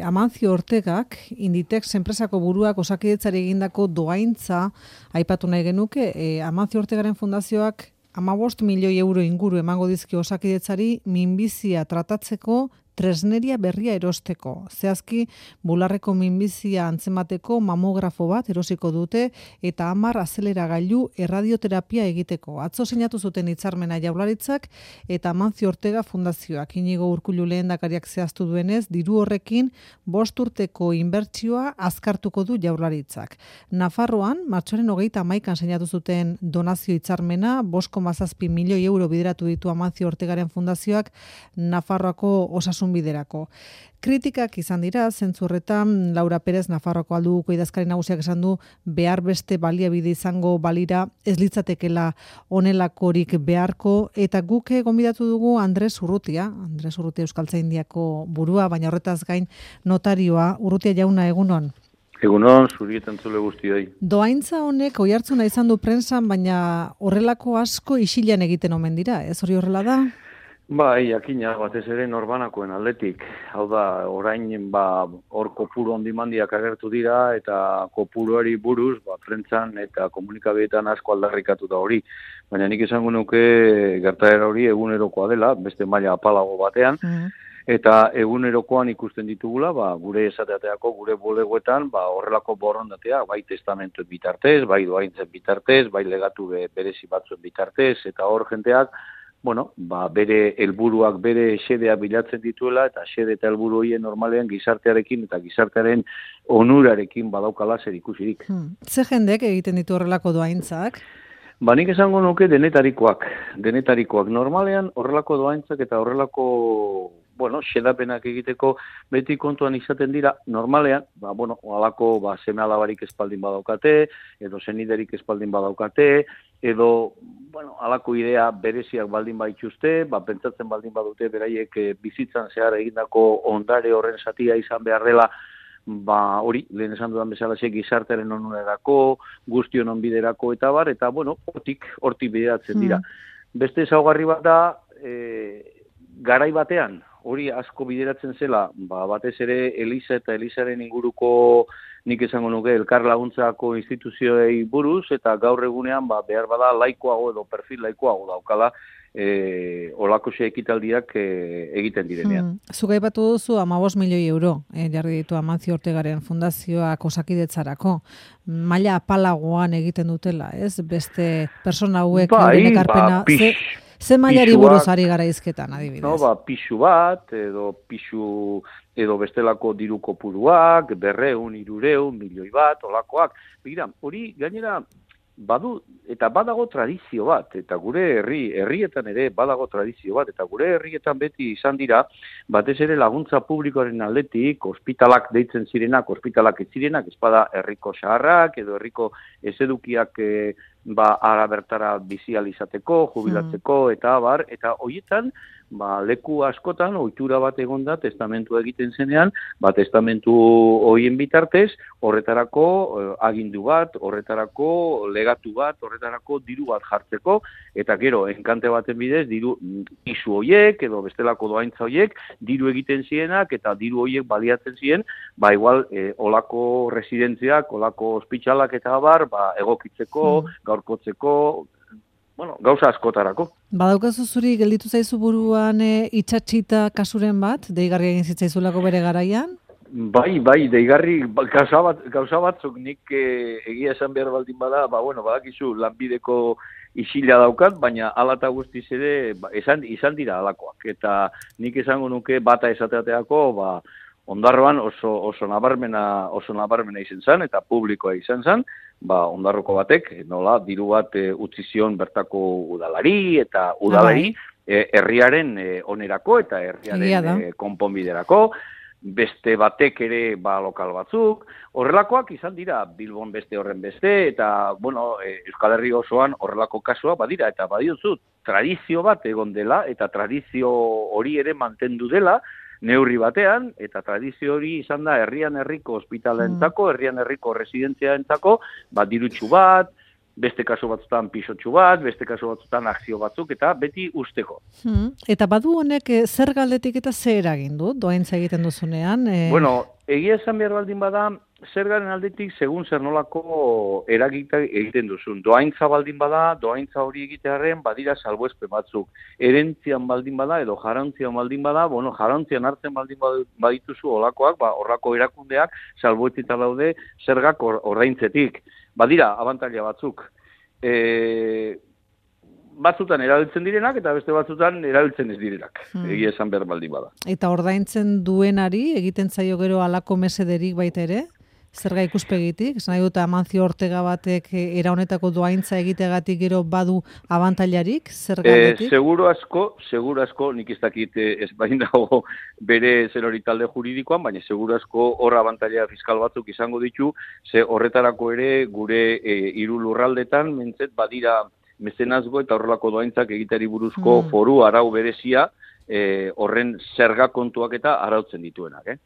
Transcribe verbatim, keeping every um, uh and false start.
Amancio Ortegak, Inditex enpresako buruak Osakidetzari egindako dohaintza aipatu nahi genuke. E, Amancio Ortegaren fundazioak hamabost milioi euro inguru emango dizkio Osakidetzari minbizia tratatzeko tresneria berria erosteko. Zehazki, bularreko minbizia antzemateko mamografo bat erosiko dute eta hamar azeleragailu erradioterapia egiteko. Atzo sinatu zuten hitzarmena Jaurlaritzak eta Amancio Ortega fundazioak. Inigo Urkullu lehendakariak zehaztu duenez, diru horrekin bost urteko inbertsioa azkartuko du Jaurlaritzak. Nafarroan, martxoaren hogeita hamaikan sinatu zuten donazio hitzarmena, bost koma zazpi milioi euro bideratu ditu Amancio Ortegaren fundazioak Nafarroako osasun biderako. Kritikak izan dira, zentzu horretan Laura Perez Nafarroako alduko idazkari nagusiak esan du behar beste baliabide izango balira ez litzatekela honelakorik beharko, eta guk gonbidatu dugu Andres Urrutia, Andres Urrutia Euskaltzaindiako burua, baina horretaz gain notarioa. Urrutia jauna, egunon. Egunon, zurietan zule guztioi. Dohaintza honek oihartzuna izan du prentsan, baina horrelako asko isilan egiten omen dira, ez hori horrela da? Bai, jakina, batez ere norbanakoen aldetik. Hau da, orain ba, hor kopuru ondimandiak agertu dira eta kopuruari buruz, ba, prentsan eta komunikabideetan asko aldarrikatu da hori. Baina nik esango nuke gertaera hori egunerokoa dela, beste maila apalago batean, mm. Eta egunerokoan ikusten ditugula, ba, gure esateateako, gure bulegoetan, ba, horrelako borondatea, bai testamentuen bitartez, bai dohaintzen bitartez, bai legatu berezi batzuen bitartez, eta hor jenteak, bueno, ba, bere helburuak bere xedea bilatzen dituela, eta xede eta helburu horien normalean gizartearekin eta gizartearen onurarekin badaukala zer ikusirik. Hmm. Ze jendek egiten ditu horrelako dohaintzak? Ba, nik esango nuke denetarikoak. Denetarikoak. Normalean horrelako dohaintzak eta horrelako, bueno, xedapenak egiteko beti kontuan izaten dira, normalean, ba, bueno, alako ba, seme alabarik espaldin badaukate, edo zeniderik espaldin badaukate, edo, bueno, alako idea bereziak baldin baituzte, ba, pentsatzen baldin badute beraiek e, bizitzan zehar egindako ondare horren zatia izan behar dela, ba, hori, lehen esan dudan bezalaxe gizartearen onurerako, guztion onbiderako eta bar, eta, bueno, hortik, hortik bideratzen dira. Mm. Beste ezaugarri bat da, e, garai batean, hori asko bideratzen zela, ba, batez ere Eliza eta Elizaren inguruko nik esango nuke elkar laguntzako instituzioei buruz, eta gaur egunean ba, behar bada laikoago edo perfil laikoago daukala e, olako xe ekitaldiak e, egiten direnean. Hmm. Zuga aipatu duzu hamabost milioi euro e, jarri ditu Amancio Ortegaren fundazioak Osakidetzarako. Maila apalagoan egiten dutela, ez? Beste persona hauek bai, ekarpena... Ba, pix, Ze mailari buruz ari gara izketan, adibidez? No, ba, pixu bat, edo pixu, edo bestelako diru kopuruak, berreun, irureun, milioi bat, olakoak. Begira, hori gainera badu, eta badago tradizio bat, eta gure herri, herrietan ere badago tradizio bat, eta gure herrietan beti izan dira, batez ere laguntza publikoaren aldetik, ospitalak deitzen zirenak, ospitalak ez zirenak, ezpada herriko saharrak, edo herriko ezedukiak e, ba, ara bertara bizializateko, jubilatzeko, mm. eta bar, eta horietan, ba, leku askotan, ohitura bat egonda, testamentu egiten zenean, ba, testamentu horien bitartez, horretarako eh, agindu bat, horretarako legatu bat, horretarako diru bat jartzeko, eta gero, enkante baten bidez, diru isu hoiek, edo bestelako doaintza hoiek, diru egiten zienak, eta diru hoiek baliatzen zien, ba, igual, eh, olako residentziak, olako ospitalak eta bar, ba, egokitzeko, mm. gaurkotzeko, bueno, gauza askotarako. Badaukazu zuri gelditu zaizu buruan e, itxatxita kasuren bat, deigarri egin zitzaizulako bere garaian? Bai, bai, deigarri gauza, bat, gauza batzuk nik e, egia esan behar baldin bada, ba, bueno, badakizu lanbideko isila daukat, baina ala eta guztiz ere ba, esan, izan dira alakoak. Eta nik esango nuke bata esateateako, ba, Ondarroan oso, oso nabarmena, oso nabarmena izan zen, eta publikoa izan zen, ba, Ondarroko batek, nola, diru bat e, utzi zion bertako udalari, eta udalari e, herriaren e, onerako, eta herriaren e, konponbiderako, beste batek ere ba, lokal batzuk, horrelakoak izan dira, Bilbon beste horren beste, eta, bueno, e, Euskal Herri osoan horrelako kasua badira, eta badiozu, tradizio bat egon dela, eta tradizio hori ere mantendu dela, neurri batean, eta tradizio hori izan da herrian herriko ospitalentzako, herrian herriko residentziaentzako, ba, dirutxu bat, beste kasu batzutan pisotxu bat, beste kasu batzutan akzio batzuk, eta beti usteko. Hmm. Eta badu honek e, zer galdetik eta zer egin du, doaintza egiten duzunean? E... Bueno, egia esan behar baldin bada, zergaren aldetik segun zer nolako eragita egiten duzun. Doaintza baldin bada, doaintza hori egitearen badira salbuespen batzuk. Erentzian baldin bada edo jarantzian baldin bada, bueno, jarantzian hartzen baldin badituzu olakoak, ba, horrako erakundeak salbuetita daude zergak ordaintzetik. Badira, abantaila batzuk. E, batzutan erabiltzen direnak eta beste batzutan erabiltzen ez direnak. Hmm. Egia esan behar baldin bada. Eta ordaintzen duenari egiten zaio gero halako mesederik baita ere? Zerga ikuspegitik? Esan nahi dut Amancio Ortega batek era honetako doaintza egiteagatik gero badu abantailarik? Zerga aldetik? E, seguro asko, seguro asko, nik ez dakit ez bain dago bere zer hori talde juridikoan, baina seguro asko hor abantaila fiskal batzuk izango ditu, ze horretarako ere gure e, hiru lurraldetan mentzet badira mezenazgo eta horrelako doaintzak egitari buruzko mm. foru arau berezia, e, horren zerga kontuak eta arautzen dituenak, eh?